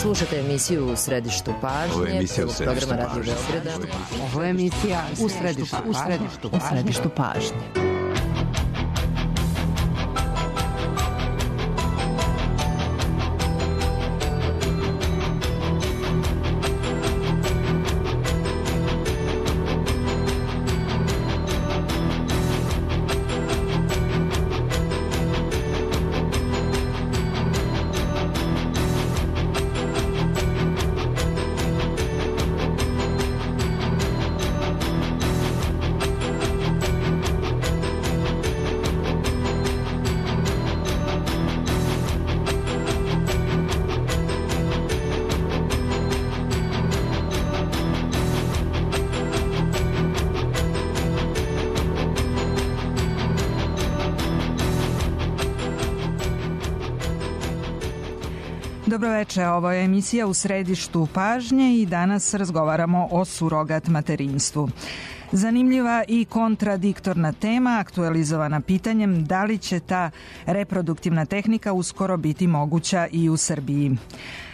Slušate emisiju U središtu pažnje, programa Radio Beograda. Ovo je emisija U središtu pažnje. Dobroveče, ovo je emisija U središtu pažnje i danas razgovaramo o surogat materinstvu. Zanimljiva i kontradiktorna tema, aktualizovana pitanjem da li će ta reproduktivna tehnika uskoro biti moguća i u Srbiji.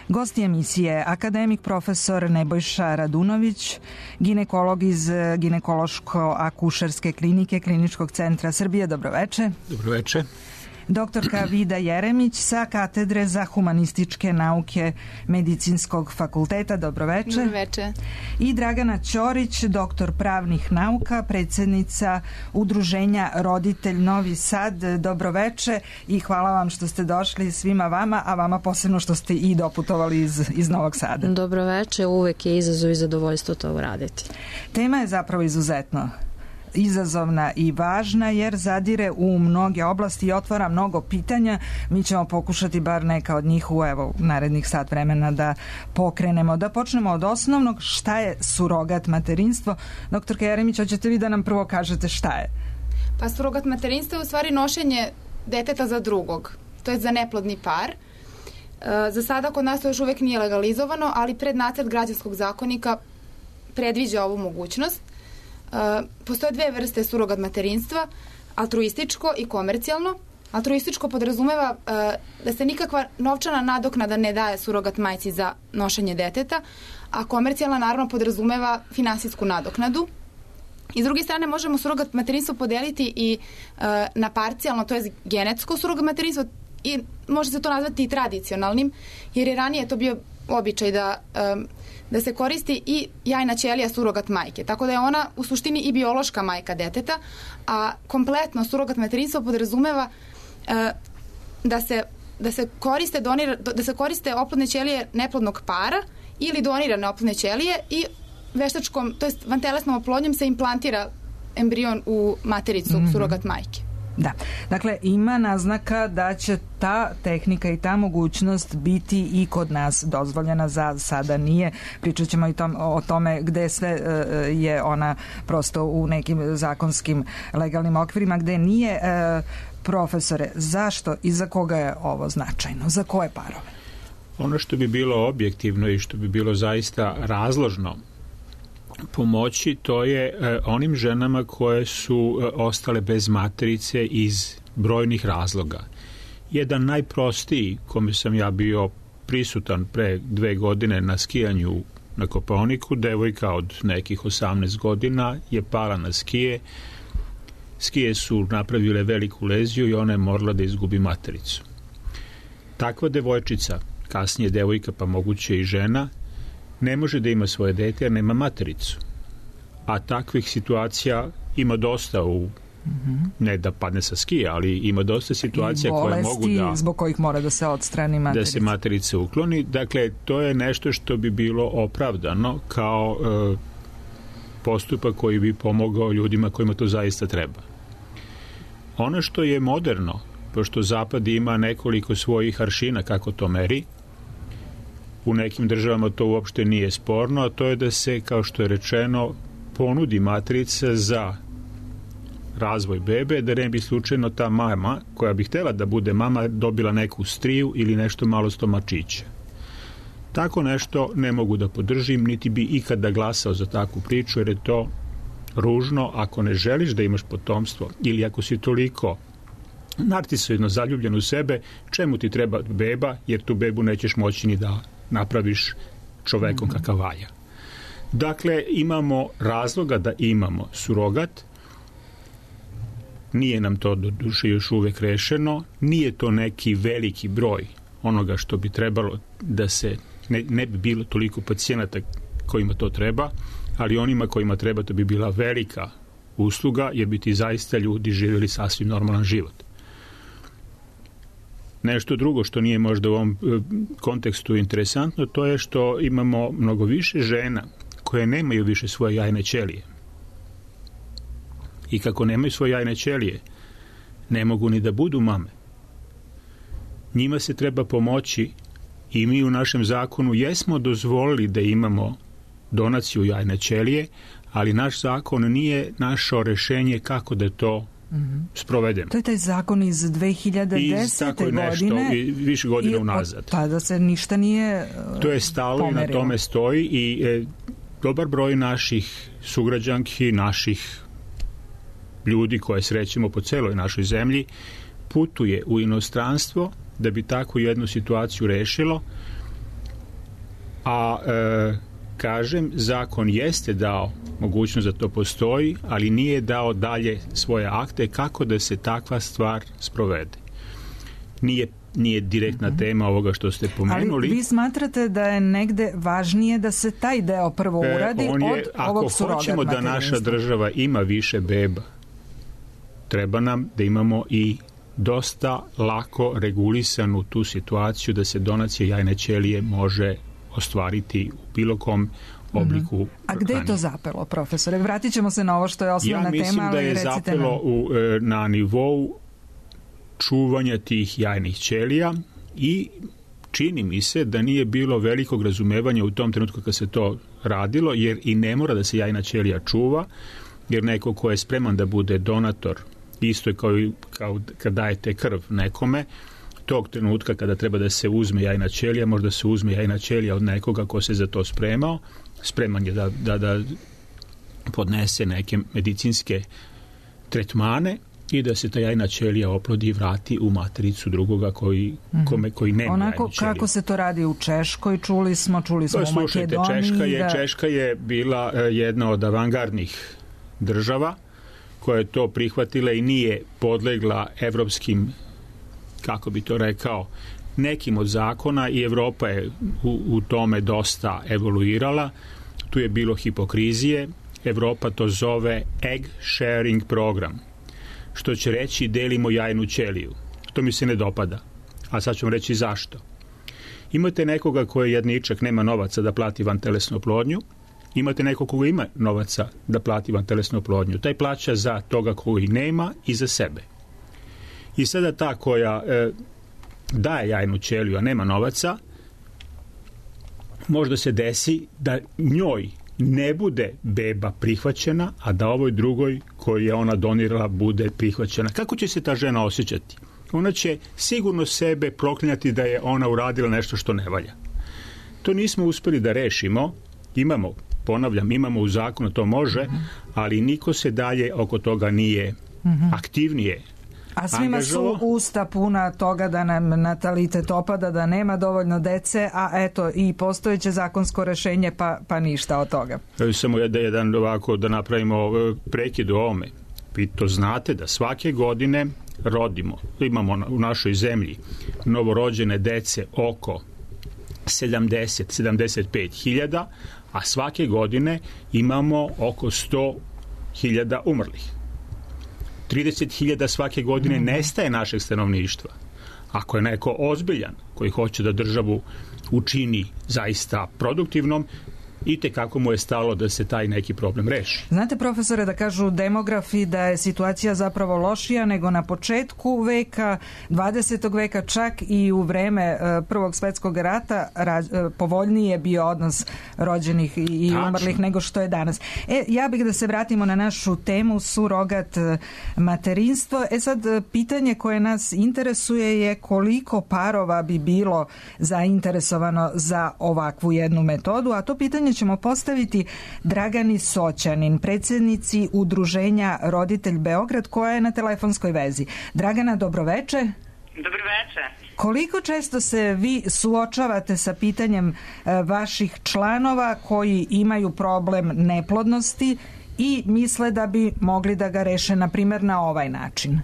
Gosti emisije akademik profesor Nebojša Radunović, ginekolog iz ginekološko-akušerske klinike Kliničkog centra Srbije. Dobroveče. Dobroveče. Doktorka Vida Jeremić sa katedre za humanističke nauke Medicinskog fakulteta. Dobroveče. Dobroveče. I Dragana Ćorić, doktor pravnih nauka, predsjednica Udruženja Roditelj Novi Sad. Dobroveče i hvala vam što ste došli svima vama, a vama posebno što ste i doputovali iz Novog Sada. Dobroveče, uvek je izazov i zadovoljstvo to uraditi. Tema je zapravo izuzetno izazovna i važna jer zadire u mnoge oblasti i otvara mnogo pitanja. Mi ćemo pokušati bar neka od njih u narednih sat vremena da pokrenemo. Da počnemo od osnovnog, šta je surogat materinstvo? Doktorka Jeremić, hoćete vi da nam prvo kažete šta je? Pa surogat materinstvo je u stvari nošenje deteta za drugog, to je za neplodni par. Za sada kod nas to još uvek nije legalizovano, ali prednacrt građanskog zakonika predviđa ovu mogućnost. Postoje dve vrste surogat materinstva, altruističko i komercijalno. Altruističko podrazumeva da se nikakva novčana nadoknada ne daje surogat majci za nošenje deteta, a komercijalna naravno podrazumeva finansijsku nadoknadu. I s druge strane možemo surogat materinstvo podeliti i na parcijalno, to je genetsko surogat materinstvo, i može se to nazvati i tradicionalnim, jer je ranije to bio običaj da se koristi i jajna ćelija surogat majke. Tako da je ona u suštini i biološka majka deteta, a kompletno surogat materinstvo podrazumeva da se koriste oplodne ćelije neplodnog para ili donirane oplodne ćelije i veštačkom, to jest vantelesnom oplodnjom se implantira embrion u matericu surogat majke. Da, dakle ima naznaka da će ta tehnika i ta mogućnost biti i kod nas dozvoljena, za sada nije. Pričat ćemo i o tome gde sve je ona prosto u nekim zakonskim legalnim okvirima, gde nije. Profesore, zašto i za koga je ovo značajno? Za koje parove? Ono što bi bilo objektivno i što bi bilo zaista razložno pomoći, to je onim ženama koje su ostale bez materice iz brojnih razloga. Jedan najprostiji, kome sam ja bio prisutan pre 2 godine na skijanju na Kopaoniku, devojka od nekih 18 godina je pala na skije. Skije su napravile veliku leziju i ona je morala da izgubi matericu. Takva devojčica, kasnije devojka pa moguće i žena, ne može da ima svoje dete jer nema matericu. A takvih situacija ima dosta ne da padne sa skija, ali ima dosta situacija koje mogu da zbog kojih mora da se odstrani materica. Da se materica ukloni. Dakle, to je nešto što bi bilo opravdano kao postupak koji bi pomogao ljudima kojima to zaista treba. Ono što je moderno, pošto Zapad ima nekoliko svojih aršina kako to meri, u nekim državama to uopšte nije sporno, a to je da se, kao što je rečeno, ponudi matrica za razvoj bebe, da ne bi slučajno ta mama, koja bi htjela da bude mama, dobila neku striju ili nešto malo stomačića. Tako nešto ne mogu da podržim, niti bi ikada glasao za takvu priču, jer je to ružno. Ako ne želiš da imaš potomstvo ili ako si toliko narcisoidno zaljubljen u sebe, čemu ti treba beba, jer tu bebu nećeš moći ni da napraviš čovekom kakav valja. Dakle, imamo razloga da imamo surogat. Nije nam to do duše još uvek rešeno. Nije to neki veliki broj onoga što bi trebalo da se ne bi bilo toliko pacijenata kojima to treba, ali onima kojima treba to bi bila velika usluga, jer bi ti zaista ljudi živjeli sasvim normalan život. Nešto drugo što nije možda u ovom kontekstu interesantno, to je što imamo mnogo više žena koje nemaju više svoje jajne ćelije. I kako nemaju svoje jajne ćelije, ne mogu ni da budu mame. Njima se treba pomoći i mi u našem zakonu jesmo dozvolili da imamo donaciju jajne ćelije, ali naš zakon nije našao rešenje kako da to sprovedemo. To je taj zakon iz 2010. godine. I više godina unazad. Tada se ništa nije to je stalo pomerilo. I na tome stoji i dobar broj naših sugrađanki, naših ljudi koje srećemo po celoj našoj zemlji, putuje u inostranstvo da bi takvu jednu situaciju rešilo, a kažem, zakon jeste dao mogućnost da to postoji, ali nije dao dalje svoje akte kako da se takva stvar sprovede. Nije direktna tema ovoga što ste pomenuli. Ali vi smatrate da je negde važnije da se taj deo prvo uradi od ovog surogat materinstva? Ako hoćemo da naša država ima više beba, treba nam da imamo i dosta lako regulisanu tu situaciju da se donacija jajne ćelije može ostvariti u bilo kom obliku. A gde je to zapelo, profesore? Vratit ćemo se na ovo što je osnovna tema. Ja mislim da je zapelo na nivou čuvanja tih jajnih ćelija i čini mi se da nije bilo velikog razumevanja u tom trenutku kad se to radilo, jer i ne mora da se jajna ćelija čuva, jer neko ko je spreman da bude donator, isto je kao kad dajete krv nekome, tog trenutka kada treba da se uzme jajna ćelija, možda se uzme jajna ćelija od nekoga ko se za to spremao, spreman je da podnese neke medicinske tretmane i da se ta jajna ćelija oplodi i vrati u matericu drugoga koji nema onako jajnu ćeliju. Kako se to radi u Češkoj, čuli smo u Makedoniji. Češka je bila jedna od avangardnih država koja je to prihvatila i nije podlegla evropskim, kako bi to rekao, nekim od zakona, i Evropa je u tome dosta evoluirala. Tu je bilo hipokrizije. Evropa to zove egg sharing program, što će reći delimo jajnu ćeliju. To mi se ne dopada. A sad ću vam reći zašto. Imate nekoga koji je jedničak, nema novaca da plati vantelesnu oplodnju. Imate nekog koga ima novaca da plati vantelesnu oplodnju. Taj plaća za toga koji nema i za sebe. I sada ta koja daje jajnu ćeliju, a nema novaca, možda se desi da njoj ne bude beba prihvaćena, a da ovoj drugoj koju je ona donirala bude prihvaćena. Kako će se ta žena osjećati? Ona će sigurno sebe proklinjati da je ona uradila nešto što ne valja. To nismo uspeli da rešimo. Imamo u zakonu, to može, ali niko se dalje oko toga nije aktivnije. A svima su usta puna toga da nam natalitet opada, da nema dovoljno dece, a eto i postojeće zakonsko rešenje, pa ništa od toga. Samo jedan ovako da napravimo prekid u ovome. Vi to znate da svake godine imamo u našoj zemlji novorođene dece oko 70-75 hiljada, a svake godine imamo oko 100 hiljada umrlih. 30.000 svake godine nestaje našeg stanovništva. Ako je neko ozbiljan koji hoće da državu učini zaista produktivnom, i tekako mu je stalo da se taj neki problem reši. Znate, profesore, da kažu demografi da je situacija zapravo lošija nego na početku veka, 20. veka, čak i u vreme Prvog svetskog rata povoljniji je bio odnos rođenih i umrlih nego što je danas. Ja bih da se vratimo na našu temu surogat materinstvo. Sad, pitanje koje nas interesuje je koliko parova bi bilo zainteresovano za ovakvu jednu metodu, a to pitanje ćemo postaviti Dragani Soćanin, predsjednici Udruženja Roditelj Beograd, koja je na telefonskoj vezi. Dragana, dobroveče. Dobro veče. Koliko često se vi suočavate sa pitanjem vaših članova koji imaju problem neplodnosti i misle da bi mogli da ga reše, na primjer, na ovaj način?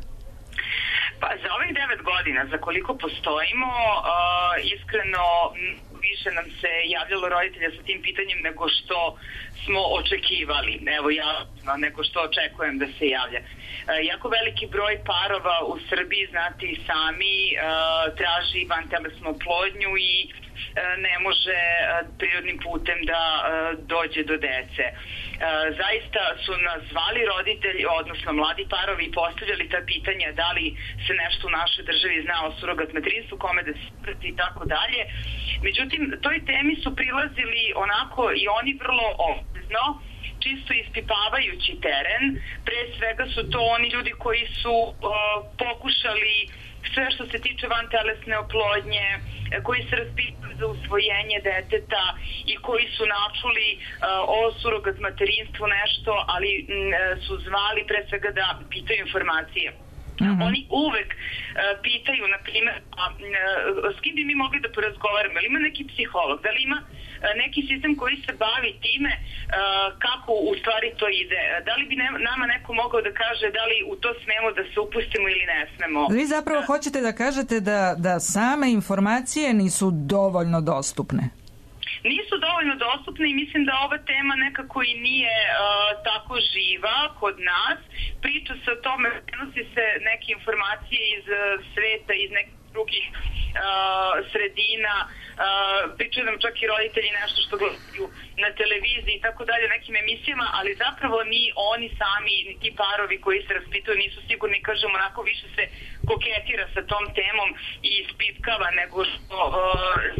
Pa za ovih 9 godina, za koliko postojimo, iskreno više nam se javljalo roditelja sa tim pitanjem nego što smo očekivali. Evo ja, nego što očekujem da se javlja. Jako veliki broj parova u Srbiji, znate i sami, traži vantelesnu oplodnju i ne može prirodnim putem da dođe do dece. Zaista su nas zvali roditelji, odnosno mladi parovi, i postavljali ta pitanja da li se nešto u našoj državi zna o surogat materinstvu, kome da se prati i tako dalje. Međutim, toj temi su prilazili onako i oni vrlo oprezno, čisto ispipavajući teren. Pre svega su to oni ljudi koji su pokušali sve što se tiče vantelesne oplodnje, koji se raspituju za usvojenje deteta i koji su načuli o surogat materinstvu nešto, ali su zvali pre svega da pitaju informacije. Oni uvek pitaju, na primjer, s kim bi mi mogli da porazgovaramo, da li ima neki psiholog, da li ima neki sistem koji se bavi time kako u stvari to ide, da li bi nama neko mogao da kaže da li u to smemo da se upustimo ili ne smemo. Vi zapravo hoćete da kažete da same informacije nisu dovoljno dostupne? Nisu dovoljno dostupne i mislim da ova tema nekako i nije tako živa kod nas. Priča se o tome, prenosi se neke informacije iz sveta, iz nekih drugih sredina, pričaju nam čak i roditelji nešto što gledaju na televiziji i tako dalje, nekim emisijama, ali zapravo ni oni sami, ni ti parovi koji se raspituju nisu sigurni, kažem, onako više se koketira sa tom temom i ispitkava nego što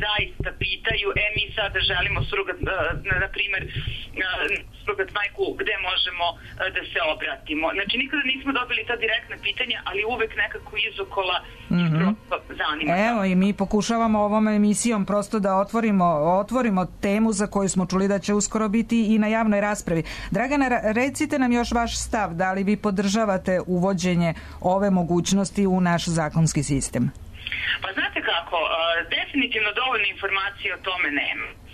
zaista pitaju, mi sada želimo surogat, na primer, surogat majku, gde možemo da se obratimo. Znači, nikada nismo dobili ta direktna pitanja, ali uvek nekako izokola i prosto zanima. Evo, i mi pokušavamo ovom emisijom prosto da otvorimo temu za koju smo čuli da će uskoro biti i na javnoj raspravi. Dragana, recite nam još vaš stav, da li vi podržavate uvođenje ove mogućnosti u naš zakonski sistem? Pa znate kako, definitivno dovoljno informacije o tome nema.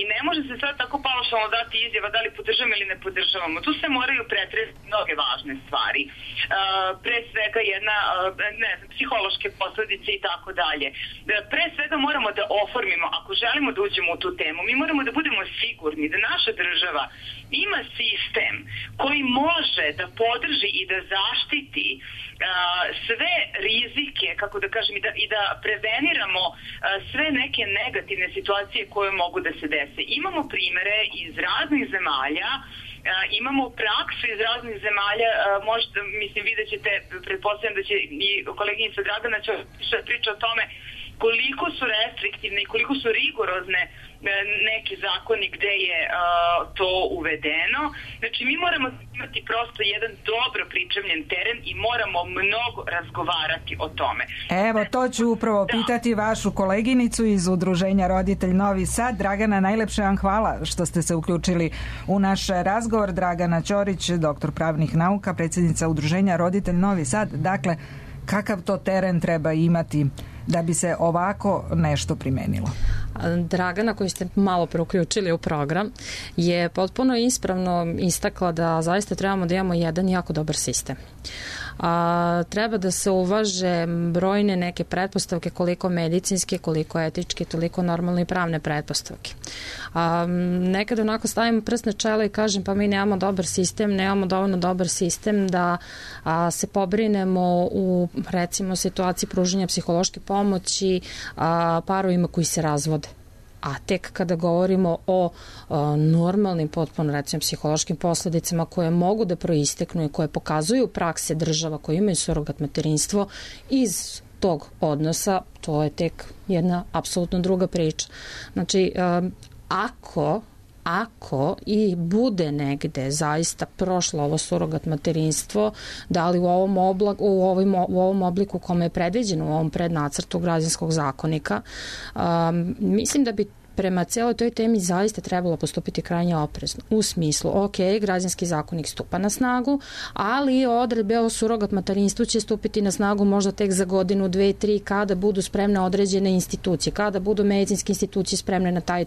I ne može se sad tako paušalno dati izjava da li podržavamo ili ne podržavamo. Tu se moraju pretresiti mnoge važne stvari. Pre svega jedna, psihološke posledice i tako dalje. Pre svega moramo da oformimo, ako želimo da uđemo u tu temu, mi moramo da budemo sigurni da naša država ima sistem koji može da podrži i da zaštiti sve rizike, kako da kažem, i da preveniramo sve neke negativne situacije koje mogu da se dese. Imamo primere iz raznih zemalja, imamo praksu iz raznih zemalja, možda, mislim, vidjet ćete, pretpostavljam da će i koleginica Dragana će priča o tome koliko su restriktivne i koliko su rigorozne neki zakoni gde je to uvedeno. Znači, mi moramo imati prosto jedan dobro pripremljen teren i moramo mnogo razgovarati o tome. Evo, to ću upravo pitati vašu koleginicu iz Udruženja Roditelj Novi Sad. Dragana, najlepše vam hvala što ste se uključili u naš razgovor. Dragana Ćorić, doktor pravnih nauka, predsjednica Udruženja Roditelj Novi Sad. Dakle, kakav to teren treba imati da bi se ovako nešto primenilo? Dragana, koju ste malo preuključili u program, je potpuno ispravno istakla da zaista trebamo da imamo jedan jako dobar sistem. Treba da se uvaže brojne neke pretpostavke, koliko medicinske, koliko etičke, toliko normalne i pravne pretpostavke. Nekada onako stavimo prst na čelo i kažem pa mi nemamo dobar sistem, nemamo dovoljno dobar sistem da se pobrinemo u, recimo, situaciji pružanja psihološke pomoći parovima koji se razvode. A tek kada govorimo o normalnim, potpuno, recimo, psihološkim posledicama koje mogu da proisteknu i koje pokazuju prakse država koje imaju surogat materinstvo iz tog odnosa, to je tek jedna apsolutno druga priča. Znači, ako i bude negde zaista prošlo ovo surogat materinstvo, da li u ovom obliku kome je predviđeno u ovom prednacrtu građanskog zakonika, mislim da bi prema cijeloj toj temi zaista trebalo postupiti krajnje oprezno. U smislu, ok, građanski zakonik stupa na snagu, ali odredbe o surogat materinstvu će stupiti na snagu možda tek za godinu, 2, 3, kada budu spremne određene institucije, kada budu medicinske institucije spremne na taj,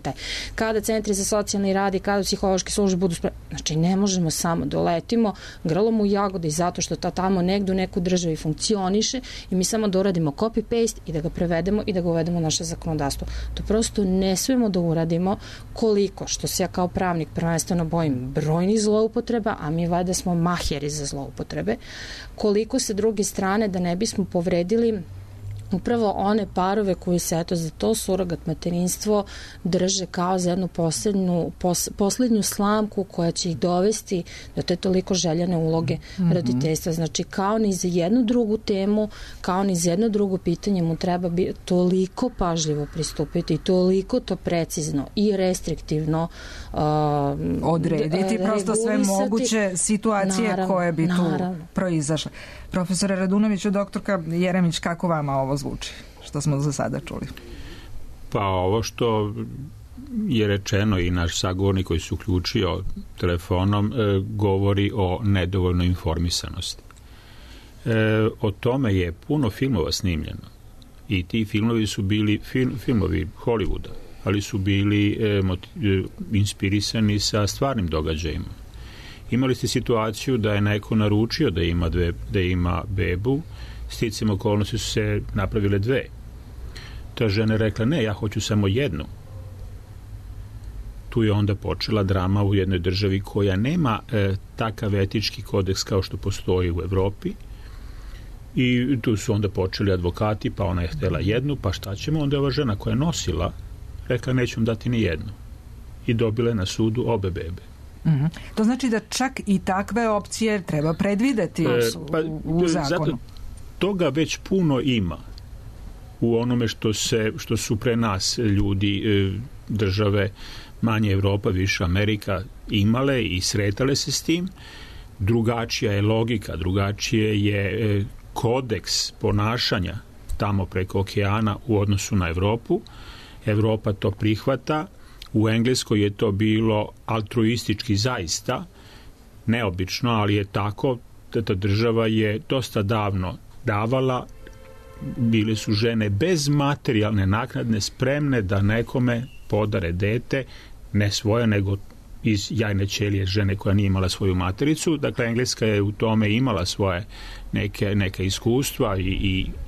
kada centri za socijalni rad i kada psihološke službe budu spremne. Znači, ne možemo samo doletimo grlom u jagode i zato što to tamo negdje u neku državi funkcioniše i mi samo doradimo copy-paste i da ga prevedemo i da ga uvedemo u naše zakonodavstvo. To prosto ne smijemo da uradimo, koliko, što se ja kao pravnik prvenstveno bojim brojnih zloupotreba, a mi valjda smo maheri za zloupotrebe, koliko se druge strane da ne bismo povredili upravo one parove koji se za to surogat materinstvo drže kao za jednu posljednju slamku koja će ih dovesti do te toliko željene uloge roditeljstva. Znači, kao ni za jednu drugu temu, kao ni za jedno drugo pitanje mu treba toliko pažljivo pristupiti i toliko to precizno i restriktivno odrediti prosto sve moguće situacije koje bi tu proizašle. Profesore Radunoviću, doktorka Jeremić, kako vama ovo zvuči, što smo za sada čuli? Pa ovo što je rečeno i naš sagovornik koji se uključio telefonom govori o nedovoljnoj informisanosti. O tome je puno filmova snimljeno i ti filmovi su bili filmovi Hollywooda, ali su bili inspirisani sa stvarnim događajima. Imali ste situaciju da je neko naručio da ima bebu, sticajem okolnosti su se napravile 2. Ta žena je rekla, ne, ja hoću samo jednu. Tu je onda počela drama u jednoj državi koja nema takav etički kodeks kao što postoji u Evropi. I tu su onda počeli advokati, pa ona je htjela jednu, pa šta ćemo? Onda je ova žena koja je nosila rekla, neću vam dati ni jednu. I dobila je na sudu obe bebe. To znači da čak i takve opcije treba predvideti u zakonu. Toga već puno ima u onome što su pre nas ljudi, države, manje Evropa, više Amerika imale i sretale se s tim. Drugačija je logika, drugačije je kodeks ponašanja tamo preko okeana u odnosu na Evropu. Evropa to prihvata. U Engleskoj je to bilo altruistički zaista neobično, ali je tako da ta država je dosta davno davala, bile su žene bez materijalne naknade spremne da nekome podare dete, ne svoje, nego iz jajne ćelije žene koja nije imala svoju matericu. Dakle, Engleska je u tome imala svoje neka iskustva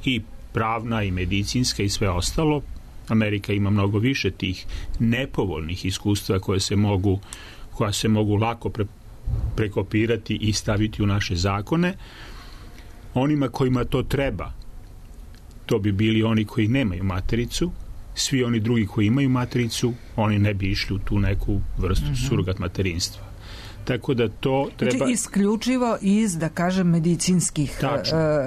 i pravna i medicinska i sve ostalo. Amerika ima mnogo više tih nepovoljnih iskustva koja se mogu lako prekopirati i staviti u naše zakone. Onima kojima to treba, to bi bili oni koji nemaju matericu. Svi oni drugi koji imaju matericu, oni ne bi išli u tu neku vrstu surogat materinstva. Tako da to treba... Znači, isključivo iz, da kažem, medicinskih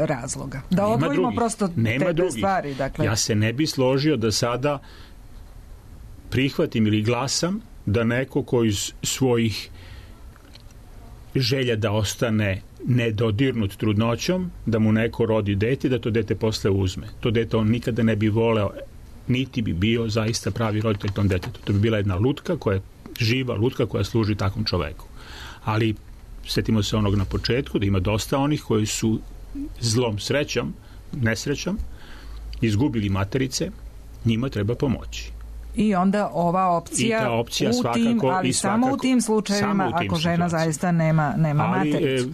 razloga. Da odvojimo prosto te stvari. Dakle. Ja se ne bi složio da sada prihvatim ili glasam da neko koji iz svojih želja da ostane nedodirnut trudnoćom, da mu neko rodi dete, da to dete posle uzme. To dete on nikada ne bi voleo, niti bi bio zaista pravi roditelj tom detetu. To bi bila jedna lutka koja je živa lutka koja služi takvom čoveku. Ali sjetimo se onog na početku da ima dosta onih koji su zlom nesrećom izgubili materice, njima treba pomoći. I onda ova opcija, samo u tim slučajevima ako žena zaista nema matericu.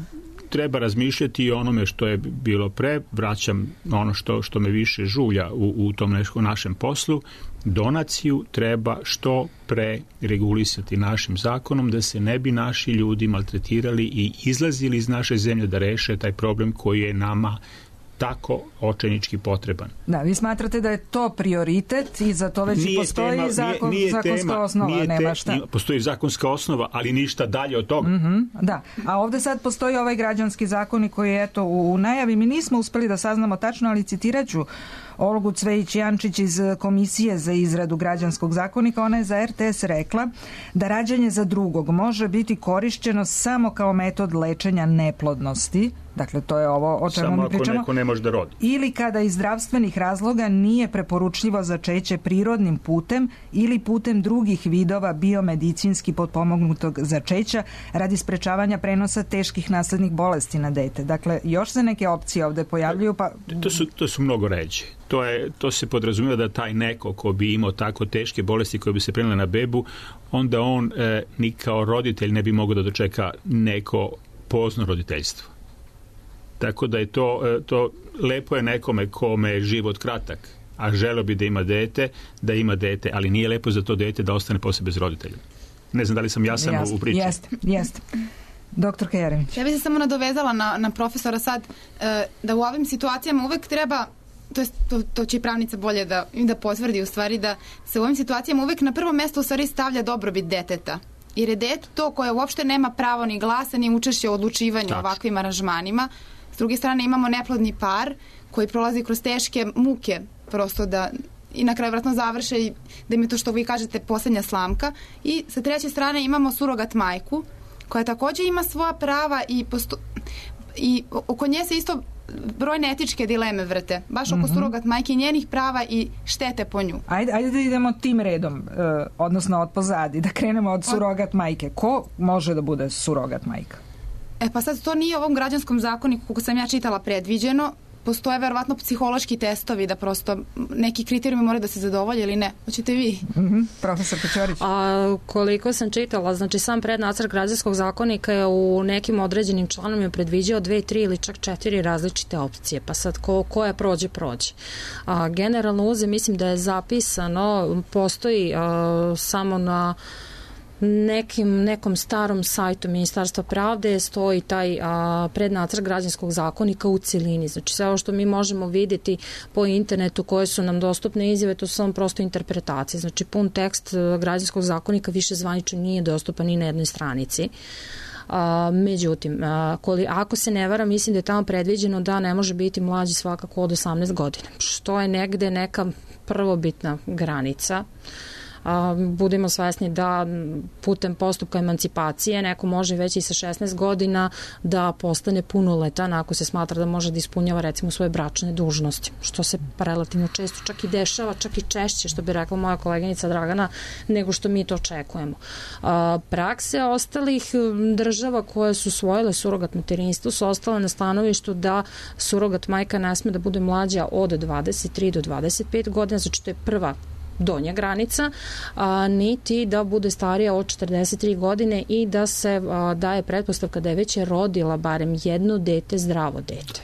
Treba razmišljati i onome što je bilo pre, vraćam ono što me više žulja u tom našem poslu, donaciju treba što pre regulisati našim zakonom da se ne bi naši ljudi maltretirali i izlazili iz naše zemlje da reše taj problem koji je nama tako očajnički potreban. Da, vi smatrate da je to prioritet i za to već postoji zakonska osnova, nema šta. Postoji zakonska osnova, ali ništa dalje od toga. Da, a ovdje sad postoji ovaj građanski zakonik koji je u najavi. Mi nismo uspeli da saznamo tačno, ali citirat ću Olgu Cvejić-Jančić iz Komisije za izradu građanskog zakonika. Ona je za RTS rekla da rađanje za drugog može biti korišćeno samo kao metod lečenja neplodnosti. Dakle, to je ovo o čemu mi pričamo. Samo ako neko ne može da rodi. Ili kada iz zdravstvenih razloga nije preporučljivo začeće prirodnim putem ili putem drugih vidova biomedicinski potpomognutog začeća radi sprečavanja prenosa teških naslednih bolesti na dete. Dakle, još se neke opcije ovde pojavljuju. Pa... To su mnogo ređe. To se podrazumijeva da taj neko ko bi imao tako teške bolesti koje bi se prenele na bebu, onda on ni kao roditelj ne bi mogao da dočeka neko pozno roditeljstvo. Tako da je to lepo je nekome kome je život kratak, a želeo bi da ima dete, ali nije lepo za to dete da ostane posle bez roditelja. Ne znam da li sam jasan u priči. Jeste. Doktor Jeremić. Ja bih se samo nadovezala na profesora sad, da u ovim situacijama uvek treba, to će i pravnica bolje da potvrdi u stvari, da se u ovim situacijama uvek na prvo mesto u stvari stavlja dobrobit deteta. Jer je dete to koje uopšte nema pravo ni glasa, ni učešće u odlučivanju o ovakvim aranžmanima. S druge strane imamo neplodni par koji prolazi kroz teške muke prosto da i na kraju vratno završe i da im je to što vi kažete posljednja slamka. I sa treće strane imamo surogat majku koja također ima svoja prava i oko nje se isto brojne etičke dileme vrte. Baš oko surogat majke i njenih prava i štete po nju. Ajde da idemo tim redom, odnosno od pozadi, da krenemo od surogat majke. Ko može da bude surogat majka? Pa sad to nije u ovom građanskom zakoniku, kako sam ja čitala, predviđeno. Postoje verovatno psihološki testovi da prosto neki kriterijumi moraju da se zadovolje ili ne. Hoćete vi? Profesor Pećorić. Koliko sam čitala, znači sam prednacrt građanskog zakonika je u nekim određenim članom je predviđao 2, 3 ili čak 4 različite opcije. Pa sad koja prođe. Generalno mislim da je zapisano, postoji samo na nekom starom sajtu Ministarstva pravde stoji taj prednacrt građanskog zakonika u celini. Znači sve ovo što mi možemo vidjeti po internetu koje su nam dostupne izjave, to su samo prosto interpretacije. Znači pun tekst građanskog zakonika više zvanično nije dostupan ni na jednoj stranici. Međutim, ako se ne varam, mislim da je tamo predviđeno da ne može biti mlađi svakako od 18 godina, što je negde neka prvobitna granica. Budemo svesni da putem postupka emancipacije neko može već i sa 16 godina da postane punoletan ako se smatra da može da ispunjava recimo svoje bračne dužnosti, što se relativno često čak i dešava, čak i češće, što bi rekla moja koleginica Dragana, nego što mi to očekujemo. Prakse ostalih država koje su usvojile surogat materinstvo su ostale na stanovištu da surogat majka ne sme da bude mlađa od 23 do 25 godina, znači to je prva donja granica, niti da bude starija od 43 godine i da se daje pretpostavka da je već rodila barem jedno dete, zdravo dete.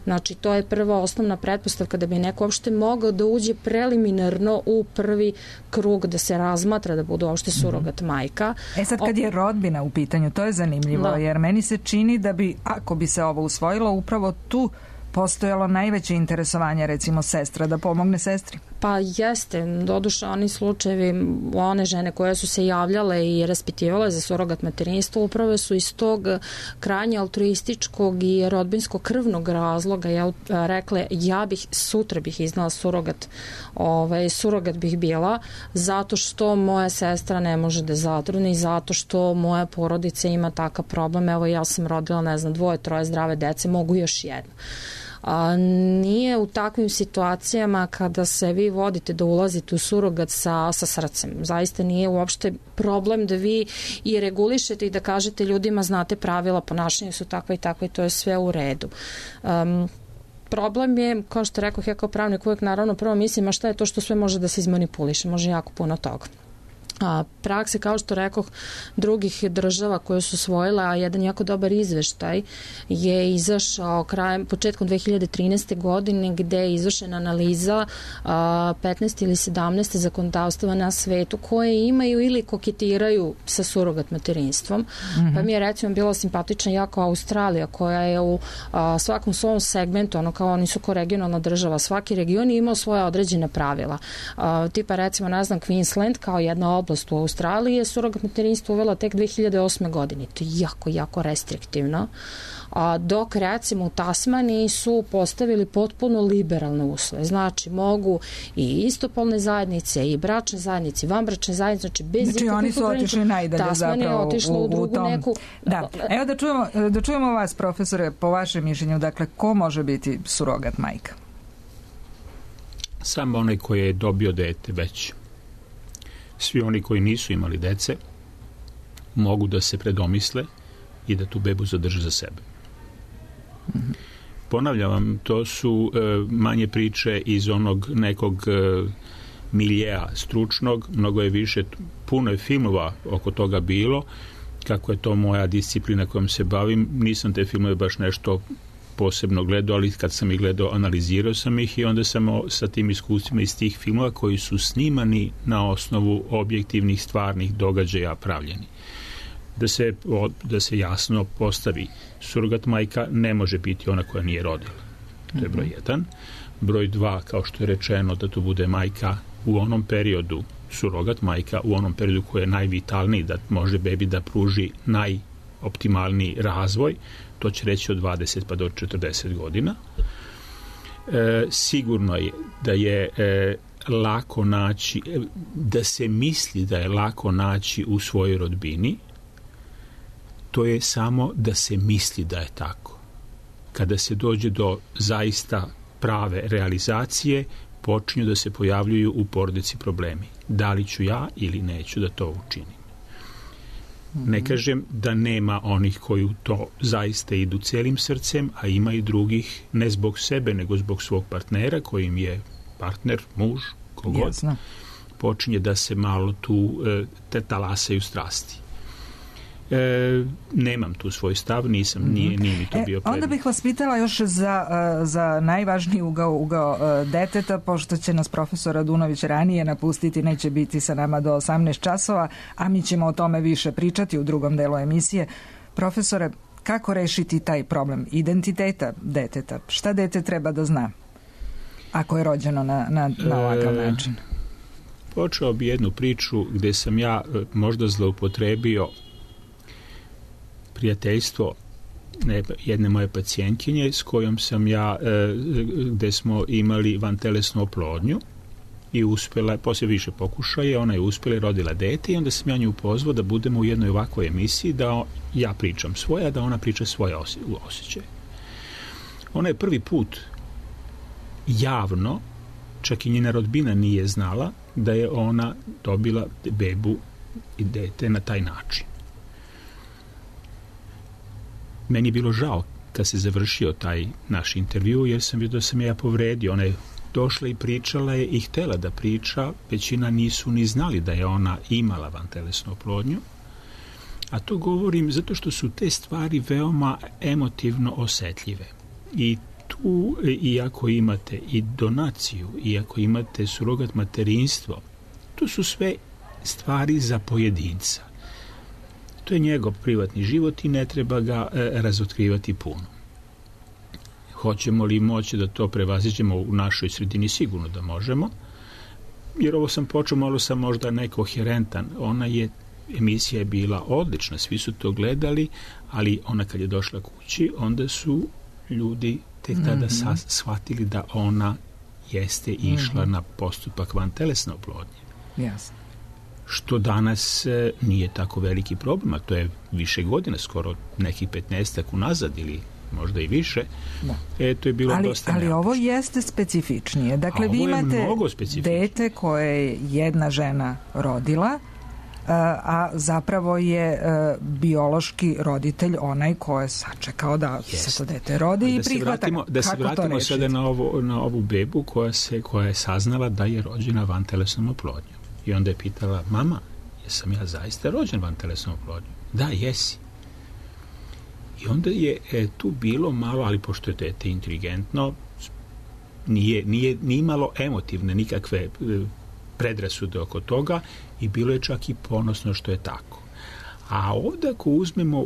Znači, to je prva osnovna pretpostavka da bi neko uopšte mogao da uđe preliminarno u prvi krug da se razmatra da bude uopšte surogat majka. Sad kad je rodbina u pitanju, to je zanimljivo, jer meni se čini da bi, ako bi se ovo usvojilo, upravo tu postojalo najveće interesovanje, recimo sestra, da pomogne sestri? Pa jeste, doduše oni slučajevi, one žene koje su se javljale i raspitivale za surogat materinstvo upravo su iz tog krajnje altruističkog i rodbinskog krvnog razloga rekle sutra bih iznala surogat bih bila zato što moja sestra ne može da zatrudni, zato što moja porodica ima takav problem, evo ja sam rodila 2, 3 zdrave dece, mogu još jedno. Nije u takvim situacijama kada se vi vodite da ulazite u surogat sa srcem. Zaista nije uopšte problem da vi i regulišete i da kažete ljudima znate pravila, ponašanja su takva i takva i to je sve u redu. Problem je, kao što rekao ja kao pravnik uvijek naravno prvo mislim, a šta je to što sve može da se izmanipuliše, može jako puno toga. Prakse, kao što rekoh, drugih država koje su usvojile, a jedan jako dobar izveštaj je izašao početkom 2013. godine gde je izvršena analiza 15 ili 17 zakonodavstava na svetu koje imaju ili koketiraju sa surogat materinstvom. Pa mi je recimo bila simpatična jako Australija koja je u svakom svom segmentu, kao oni su ko regionalna država, svaki region je imao svoje određene pravila. Tipa recimo, Queensland kao jedna oblast oblast u Australiji je surogat materinstvo uvela tek 2008. godine. To je jako, jako restriktivno. Dok recimo u Tasmaniji su postavili potpuno liberalne uslove. Znači mogu i istopolne zajednice i bračne zajednice i vanbračne zajednice, znači bez ikakvih ograničenja. Oni su otišli najdalje Tasmanija je otišla u drugu tom... neku... Da. Evo da čujemo vas, profesore, po vašem mišljenju, dakle, ko može biti surogat majka? Samo onaj koji je dobio dete već. Svi oni koji nisu imali dece mogu da se predomisle i da tu bebu zadrže za sebe. Ponavljam vam, to su manje priče iz onog nekog miljeja stručnog, mnogo je više, puno je filmova oko toga bilo, kako je to moja disciplina kojom se bavim, nisam te filmove baš nešto posebno gledao, ali kad sam ih gledao, analizirao sam ih i onda sam sa tim iskustvima iz tih filmova koji su snimani na osnovu objektivnih stvarnih događaja pravljeni. Da se jasno postavi, surogat majka ne može biti ona koja nije rodila. To je broj 1. Broj 2, kao što je rečeno, da to bude majka u onom periodu, surogat majka u onom periodu koji je najvitalniji, da može bebi da pruži najoptimalniji razvoj, to će reći od 20 pa do 40 godina. Sigurno je da je lako naći, da se misli da je lako naći u svojoj rodbini, to je samo da se misli da je tako. Kada se dođe do zaista prave realizacije, počinju da se pojavljuju u porodici problemi. Da li ću ja ili neću da to učinim? Ne kažem da nema onih koji u to zaista idu celim srcem, a ima i drugih, ne zbog sebe, nego zbog svog partnera, kojim je partner, muž, kogod, počinje da se malo tu talasaju strasti. Nemam tu svoj stav, nije mi to bio predmet. Onda bih vas pitala još za najvažniji ugao deteta, pošto će nas profesor Radunović ranije napustiti, neće biti sa nama do 18 časova, a mi ćemo o tome više pričati u drugom delu emisije. Profesore, kako rešiti taj problem identiteta deteta? Šta dete treba da zna ako je rođeno na ovakav način? Počeo bi jednu priču gde sam ja možda zloupotrebio prijateljstvo jedne moje pacijentkinje s kojom sam ja, gde smo imali vantelesnu oplodnju i uspela, poslije više pokušaja, ona je uspela i rodila dete i onda sam ja nju pozvao da budemo u jednoj ovakvoj emisiji, da ja pričam svoje, a da ona priča svoje osjećaje. Ona je prvi put javno, čak i njena rodbina nije znala da je ona dobila bebu i dete na taj način. Meni je bilo žao kad se završio taj naš intervju, jer sam vidio da sam ja povredio. Ona je došla i pričala je i htjela da priča, većina nisu ni znali da je ona imala vantelesnu oplodnju, a to govorim zato što su te stvari veoma emotivno osetljive. I tu, iako imate i donaciju, iako imate surogat materinstvo, to su sve stvari za pojedinca. To je njegov privatni život i ne treba ga razotkrivati puno. Hoćemo li moći da to prevaziđemo u našoj sredini? Sigurno da možemo, jer ovo sam počeo, malo sam možda nekoherentan. Emisija je bila odlična, svi su to gledali, ali ona kad je došla kući, onda su ljudi tek tada shvatili da ona jeste išla na postupak vantelesne oplodnje. Jasno. Što danas nije tako veliki problem, a to je više godina, skoro nekih 15 unazad ili možda i više. To je bilo dosta ali ovo jeste specifičnije. Dakle, vi imate dete koje je jedna žena rodila, a zapravo je biološki roditelj onaj ko je sačekao da se to dete rodi i prihvata. Da se vratimo sada na ovu bebu koja je saznala da je rođena vantelesnom oplodnjom. I onda je pitala, mama, jesam ja zaista rođen vantelesnom oplodnjom? Da, jesi. I onda je tu bilo malo, ali pošto je dete inteligentno, nije imalo emotivne nikakve predrasude oko toga i bilo je čak i ponosno što je tako. A ovdje ako uzmemo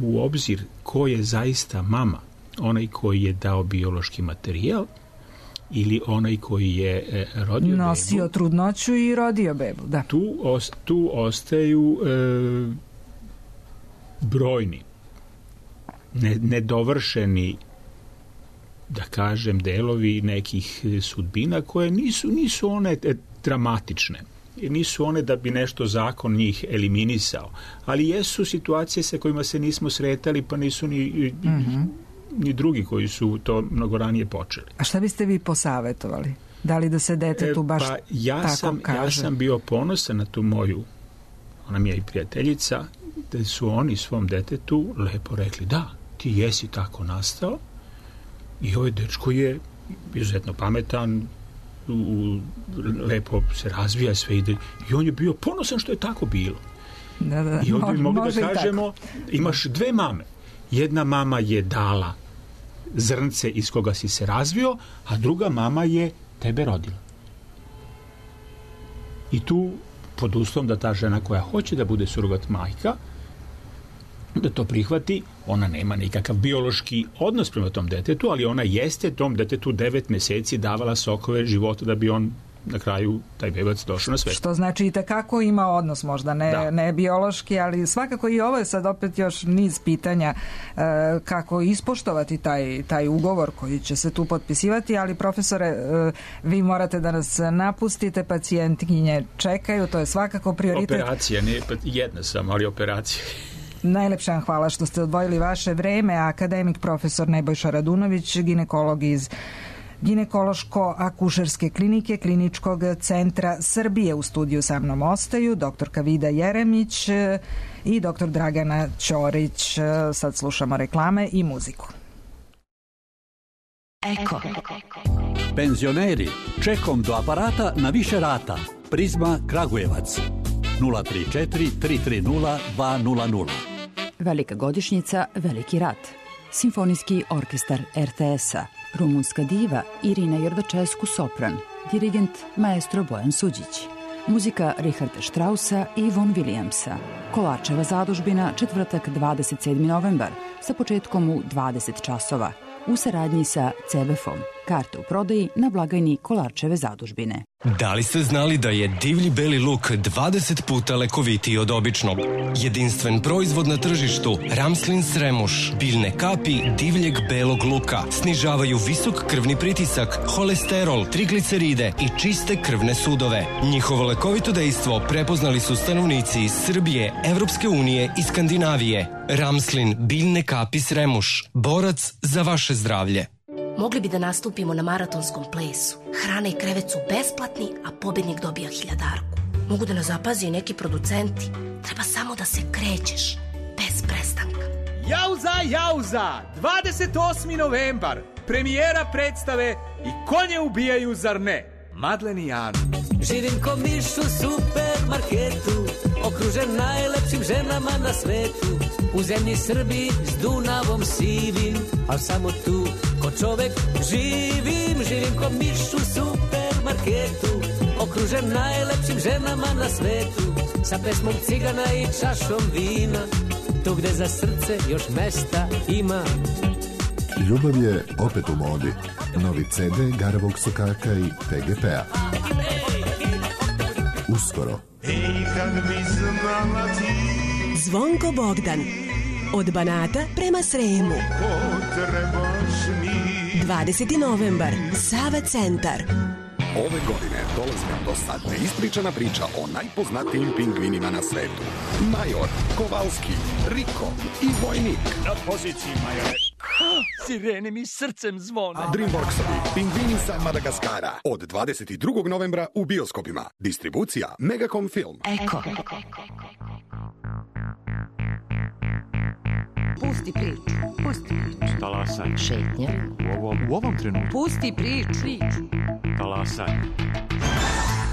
u obzir ko je zaista mama, onaj koji je dao biološki materijal, ili onaj koji je rodio bebu. Nosio trudnoću i rodio bebu, da. Tu ostaju brojni, nedovršeni, da kažem, delovi nekih sudbina koje nisu one dramatične. Nisu one da bi nešto zakon njih eliminisao, ali jesu situacije sa kojima se nismo sretali, pa nisu ni drugi koji su to mnogo ranije počeli. A šta biste vi posavetovali? Da li da se detetu baš tako kaže? Ja sam bio ponosan na tu moju, ona mi je i prijateljica, da su oni svom detetu lepo rekli, da, ti jesi tako nastao i ovaj dečko je izuzetno pametan, lepo se razvija, sve ide, i on je bio ponosan što je tako bilo. Da, i onda bi mogli da kažemo, imaš dve mame. Jedna mama je dala zrnce iz koga si se razvio, a druga mama je tebe rodila. I tu, pod uslovom da ta žena koja hoće da bude surogat majka, da to prihvati, ona nema nikakav biološki odnos prema tom detetu, ali ona jeste tom detetu 9 meseci davala sokove života da bi on na kraju taj bebac došao na svet. Što znači i tekako ima odnos, možda ne biološki, ali svakako i ovo je sad opet još niz pitanja kako ispoštovati taj ugovor koji će se tu potpisivati, ali profesore, vi morate da nas napustite, pacijentkinje čekaju, to je svakako prioritet. Operacija, ne jedna sam, ali operacija. Najlepša vam hvala što ste odvojili vaše vreme. Akademik profesor Nebojša Radunović, ginekolog iz Ginekološko-akušerske klinike Kliničkog centra Srbije. U studiju sa mnom ostaju doktorka Vida Jeremić i doktor Dragana Ćorić. Sad slušamo reklame i muziku. Eko. Penzioneri, čekom do aparata na više rata. Prizma Kragujevac. 034 330 200. Velika godišnjica, veliki rat. Simfonijski orkestar RTS-a. Rumunska diva Irina Jordačesku sopran. Dirigent maestro Bojan Suđić. Muzika Richarda Straussa i Von Williamsa. Kolarčeva zadužbina, četvrtak 27. novembar, sa početkom u 20 časova. U saradnji sa CBF-om. Karte u prodaji na blagajni Kolarčeve zadužbine. Da li ste znali da je divlji beli luk 20 puta lekovitiji od običnog? Jedinstven proizvod na tržištu, Ramslin Sremuš, biljne kapi divljeg belog luka, snižavaju visok krvni pritisak, holesterol, trigliceride i čiste krvne sudove. Njihovo lekovito dejstvo prepoznali su stanovnici iz Srbije, Evropske unije i Skandinavije. Ramslin, biljne kapi Sremuš, borac za vaše zdravlje. Mogli bi da nastupimo na maratonskom plesu. Hrana i krevet su besplatni, a pobednik dobija 1000-arku. Mogu da nas zapazi i neki producenti. Treba samo da se krećeš, bez prestanka. Jauza! 28. novembar. Premijera predstave I konje ubijaju, zar ne? Madlen i Janu. Živim ko miš u supermarketu, okružen najlepšim ženama na svetu. U zemlji Srbiji s Dunavom sivim, al samo tu ko čovek živim. Živim ko miš u supermarketu, okružen najlepšim ženama na svetu. Sa pesmom cigana i čašom vina, tu gde za srce još mesta ima. Ljubav je opet u modi. Novi CD Garavog Sokaka i PGP-a. Uskoro. Zvonko Bogdan. Od Banata prema Sremu. 20. novembar. Sava centar. Ove godine dolazi nam do sad neispričana priča o najpoznatijim pingvinima na svetu. Major, Kovalski, Riko i Vojnik. Na poziciji, Majore. Sirene mi srcem zvone. Dreamworksovi, pingvini sa Madagaskara. Od 22. novembra u bioskopima. Distribucija Megacom Film. Eko. Pusti priču. Talasaj. Šetnja. U ovom trenutku. Pusti priču. Talasaj.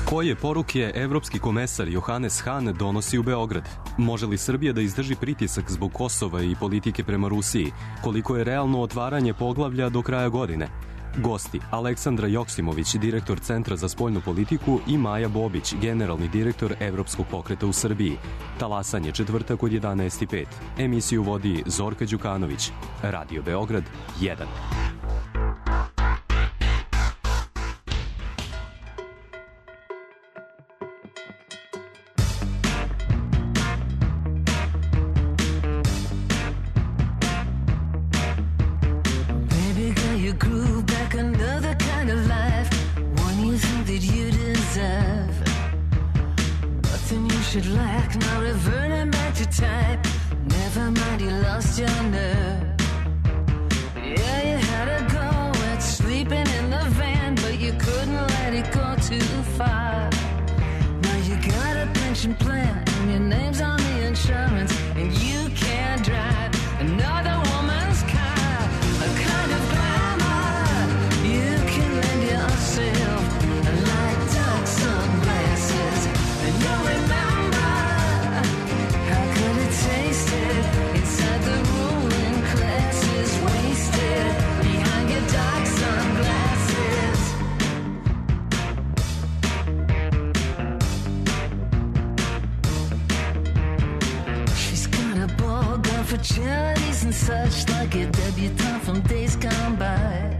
Koje poruke evropski komesar Johannes Hahn donosi u Beograd? Može li Srbija da izdrži pritisak zbog Kosova i politike prema Rusiji? Koliko je realno otvaranje poglavlja do kraja godine? Gosti: Aleksandra Joksimović, direktor Centra za spoljnu politiku, i Maja Bobić, generalni direktor Evropskog pokreta u Srbiji. Talasanje, četvrtak od 11:05. Emisiju vodi Zorka Đukanović. Radio Beograd 1. should lack, now reverting back to type. Never mind, you lost your nerve. Yeah, you had a go at sleeping in the van, but you couldn't let it go too far. Now you got a pension plan, and your name's on the insurance, and you can't drive another woman's car. A kind of glamour you can lend yourself, like dark sunglasses, and you'll remember how good it tasted inside the ruling classes, wasted behind your dark sunglasses. She's got a ball gown for charities and such, like a debutante from days gone by.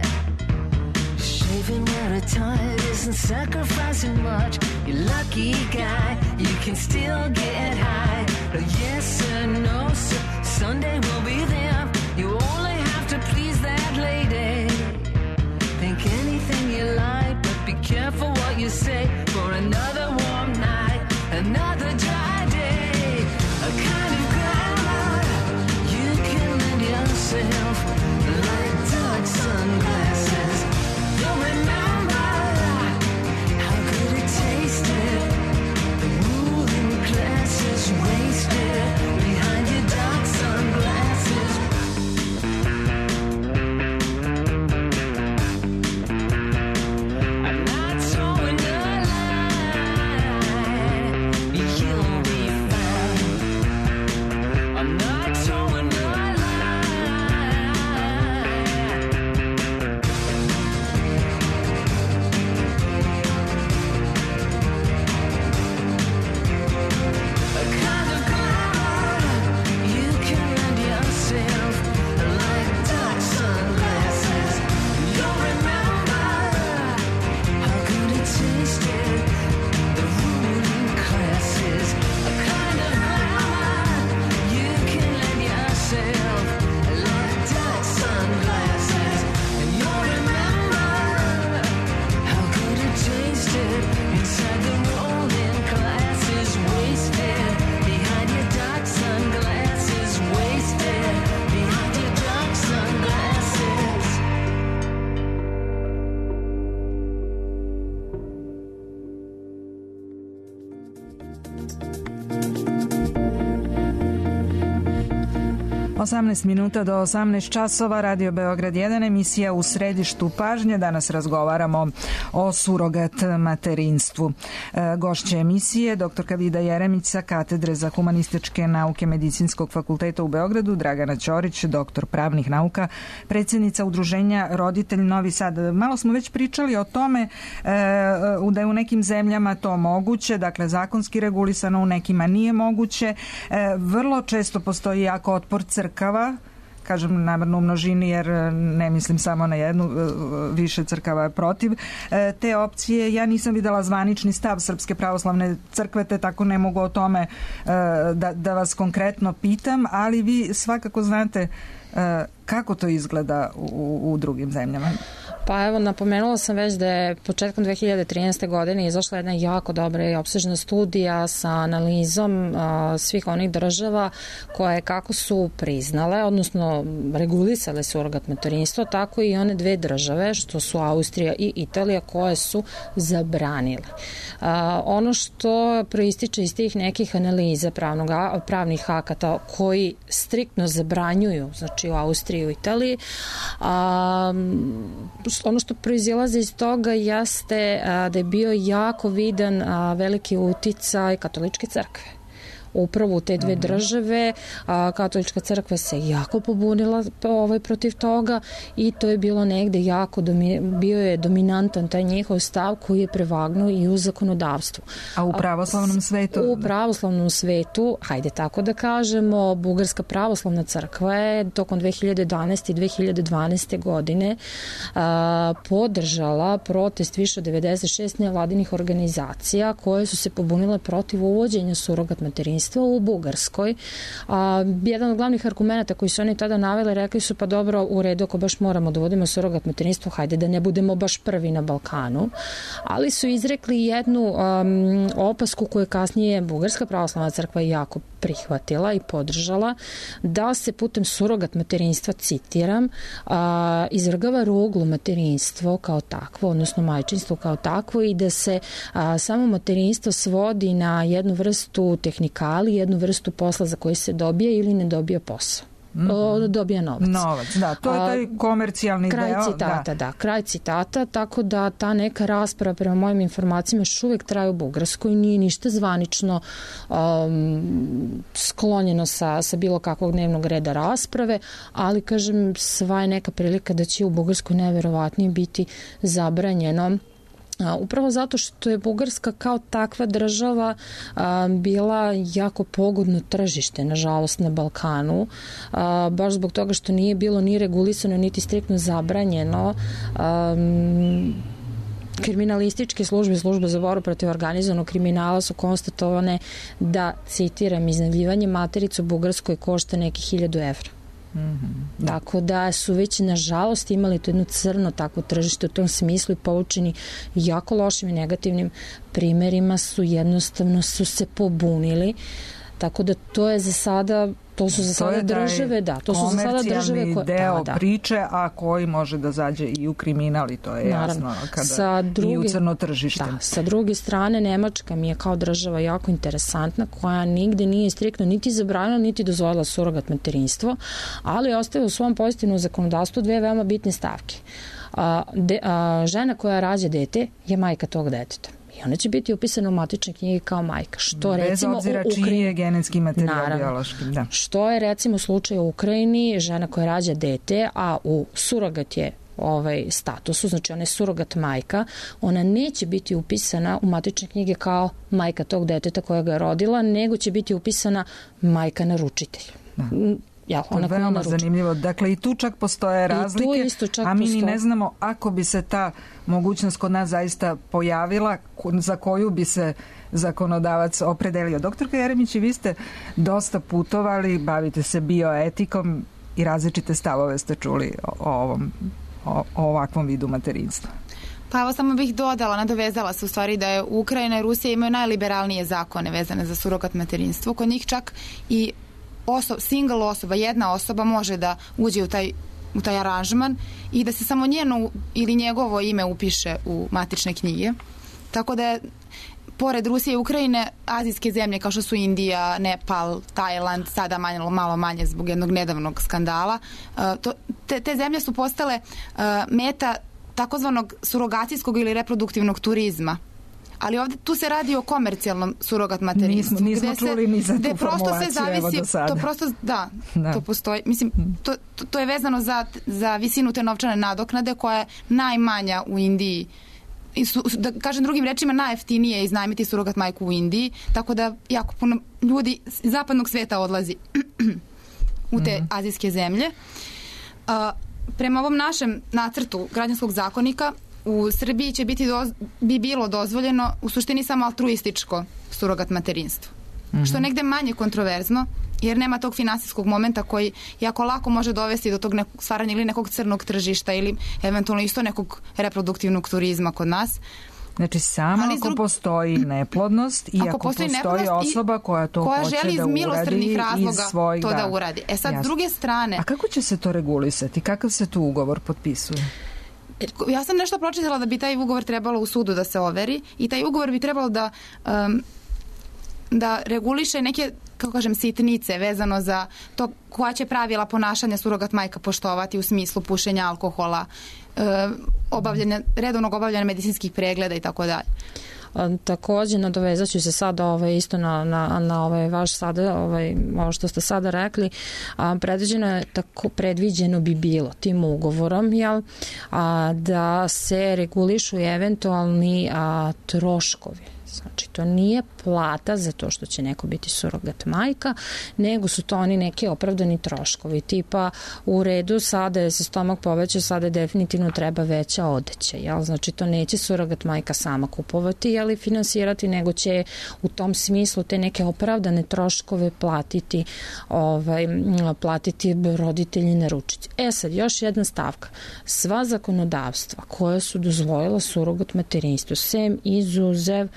Shaving where a tide isn't sacrificing much. You're lucky guy, you can still get high. But yes sir, no sir, Sunday will be there. You only have to please that lady. Think anything you like, but be careful what you say. For another warm night, another dry day, a kind of glamour you can lend yourself, like dark sunglasses. You'll remember how good it tasted. The ruling classes wasted behind your dark sunglasses. I'm not towing the line, you'll be fine. I'm not towing the a kind of glamour you can lend yourself, like dark sunglasses. You'll remember how good it tasted. The ruling classes, a kind of glamour you can lend yourself, like dark sunglasses. And you'll remember how good it tasted inside the rolling classes, wasted behind your dark sunglasses, wasted behind your dark sunglasses. Osamnaest minuta do 18 časova, Radio Beograd 1, emisija U središtu pažnje. Danas razgovaramo o surogat materinstvu. Gošća emisije, doktorka Vida Jeremić sa Katedre za humanističke nauke Medicinskog fakulteta u Beogradu, Dragana Ćorić, doktor pravnih nauka, predsjednica Udruženja Roditelj Novi Sad. Malo smo već pričali o tome da je u nekim zemljama to moguće, dakle zakonski regulisano, u nekima nije moguće. Vrlo često postoji jako otpor crkava, kažem namerno u množini jer ne mislim samo na jednu, više crkava je protiv te opcije. Ja nisam videla zvanični stav Srpske pravoslavne crkve, te tako ne mogu o tome da vas konkretno pitam, ali vi svakako znate kako to izgleda u drugim zemljama. Pa evo, napomenula sam već da je početkom 2013. godine izašla jedna jako dobra i opsežna studija sa analizom svih onih država koje kako su priznale, odnosno regulisale surogat materinstvo, tako i one dve države, što su Austrija i Italija, koje su zabranile. Ono što proističe iz tih nekih analiza pravnih akata koji striktno zabranjuju, znači u Austriji i u Italiji, ono što proizilazi iz toga jeste da je bio jako vidan veliki uticaj katoličke crkve. Upravo u te dve države katolička crkva se jako pobunila protiv toga i to je bilo negde jako bio je dominantan taj njihov stav koji je prevagnuo i u zakonodavstvu. A u pravoslavnom svetu? U pravoslavnom svetu, hajde tako da kažemo, Bugarska pravoslavna crkva je tokom 2011. i 2012. godine podržala protest više od 96 nevladinih organizacija koje su se pobunile protiv uvođenja surogat materinstva materinstva u Bugarskoj. Jedan od glavnih argumenta koji su oni tada naveli, rekli su pa dobro, u redu, ako baš moramo da vodimo surogat materinstvo, hajde da ne budemo baš prvi na Balkanu, ali su izrekli jednu opasku koju je kasnije Bugarska pravoslavna crkva jako prihvatila i podržala, da se putem surogat materinstva, citiram, izvrgava ruglu materinstvo kao takvo, odnosno majčinstvo kao takvo, i da se samo materinstvo svodi na jednu vrstu tehnikali, jednu vrstu posla za koji se dobija ili ne dobija posao. Dobija novac. Da, to je taj komercijalni kraj deo. Citata, da, kraj citata, tako da ta neka rasprava prema mojim informacijama još uvijek traje u Bugarskoj, nije ništa zvanično sklonjeno sa bilo kakvog dnevnog reda rasprave, ali kažem, sva je neka prilika da će u Bugarskoj najverovatnije biti zabranjeno. Upravo zato što je Bugarska kao takva država bila jako pogodno tržište, nažalost, na Balkanu, baš zbog toga što nije bilo ni regulisano, niti striktno zabranjeno. Kriminalističke službe za borbu protiv organizovanog kriminala su konstatovane da, citiram, iznajmljivanje materice u Bugarskoj košta neki 1000 evra. Tako da su već nažalost imali to jedno crno takvo tržište u tom smislu i poučeni jako lošim i negativnim primerima su jednostavno se pobunili. Tako da to je za sada, to su za sada države, da, to su za sada države koje deo priče, a koji može da zađe i u kriminal, i to je jasno kada i u crno tržište. Da, sa druge strane, Nemačka mi je kao država jako interesantna, koja nigde nije striktno niti zabranila, niti dozvolila surogat materinstvo, ali ostaje u svom pozitivnom zakonodavstvu dve veoma bitne stavke. Žena koja rađa dete je majka tog deteta. I ona će biti upisana u matične knjige kao majka. Što, bez recimo, obzira čiji je genetski materijal biološki. Da. Što je recimo u slučaju u Ukrajini, žena koja rađa dete, a u surogat je statusu, znači ona je surogat majka, ona neće biti upisana u matične knjige kao majka tog deteta koja ga je rodila, nego će biti upisana majka naručitelj. To je veoma zanimljivo. Dakle, i tu čak postoje razlike, a mi ni ne znamo ako bi se ta mogućnost kod nas zaista pojavila, za koju bi se zakonodavac opredelio. Doktorka Jeremić, vi ste dosta putovali, bavite se bioetikom i različite stavove ste čuli o ovakvom vidu materinstva. Pa evo samo bih dodala, nadovezala se u stvari da je Ukrajina i Rusija imaju najliberalnije zakone vezane za surogat materinstvo. Kod njih čak i single osoba, jedna osoba može da uđe u taj aranžman i da se samo njeno ili njegovo ime upiše u matične knjige. Tako da je, pored Rusije i Ukrajine, azijske zemlje kao što su Indija, Nepal, Tajland, sada malo manje zbog jednog nedavnog skandala, te zemlje su postale meta takozvanog surogacijskog ili reproduktivnog turizma. Ali ovdje tu se radi o komercijalnom surogat materinstvu. Nismo čuli ni za tu formulaciju, evo do sada. To prosto, da, to postoji. Mislim, to je vezano za visinu te novčane nadoknade koja je najmanja u Indiji. Da kažem drugim rečima, najjeftinije je iznajmiti surogat majku u Indiji, tako da jako puno ljudi iz zapadnog sveta odlazi u te azijske zemlje. Prema ovom našem nacrtu građanskog zakonika, u Srbiji će bi bilo dozvoljeno u suštini samo altruističko surogat materinstvo. Što negde manje kontroverzno, jer nema tog finansijskog momenta koji jako lako može dovesti do tog stvaranja ili nekog crnog tržišta ili eventualno isto nekog reproduktivnog turizma kod nas. Znači samo ako postoji neplodnost i ako postoji osoba koja to hoće želi iz milosrdnih razloga to da uradi. Sad, s druge strane... A kako će se to regulisati? Kakav se tu ugovor potpisuje? Ja sam nešto pročitala da bi taj ugovor trebalo u sudu da se overi i taj ugovor bi trebalo da reguliše neke, kako kažem, sitnice vezano za to koja će pravila ponašanja surogat majka poštovati u smislu pušenja alkohola, redovnog obavljanja medicinskih pregleda i tako dalje. Takođe, nadovezat ću se sada isto na vaš sada, ovo što ste sada rekli, predviđeno bi bilo tim ugovorom, da se regulišu eventualni troškovi Znači, to nije plata za to što će neko biti surogat majka, nego su to oni neki opravdani troškovi. Tipa, u redu, sada je se stomak povećao, sada definitivno treba veća odeća. Jel? Znači, to neće surogat majka sama kupovati, ali finansirati, nego će u tom smislu te neke opravdane troškove platiti roditelji naručici. Sad, još jedna stavka. Sva zakonodavstva koja su dozvojila surogat materinstvo, sem izuzev